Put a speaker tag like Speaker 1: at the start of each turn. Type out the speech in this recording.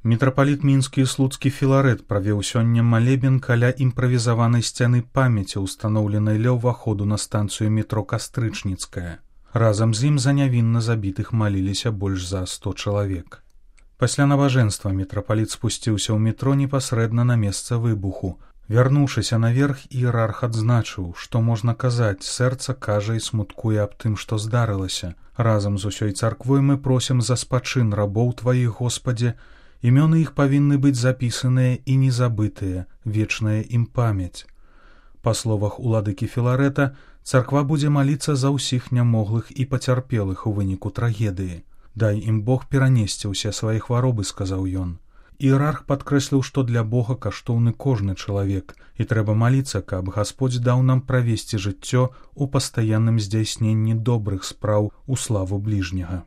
Speaker 1: Мітрапаліт мінскі і слуцкі Філарэт правеў сёння малебен каля імправізаванай сцяны памяці, устаноўленай ля ўваходу на станцыю метро Кастрычніцкая. Разам з ім за нявінна забітых маліліся больш за 100 чалавек. Пасля набажэнства мітрапаліт спусціўся ў метро непасрэдна на месца выбуху. Вярнуўшыся наверх, іерарх адзначыў, што можна казаць, сэрца кажа і смуткуе аб тым, што здарылася. Разам з усёй царквой мы просім за спачын рабоў тваіх, Господзе, імёны іх павінны быць запісаныя і незабытыя, вечная ім памяць. Па словах уладыкі Філарэта, царква будзе маліцца за ўсіх нямоглых і пацярпелых у выніку трагедыі. Дай ім Бог перанесці ўсе свае хваробы, сказаў ён. Іерарх падкрэсліў, што для Бога каштоўны кожны чалавек, і трэба маліцца, каб Гасподзь даў нам правесці жыццё ў пастаянным здзяйсненні добрых спраў у славу бліжняга.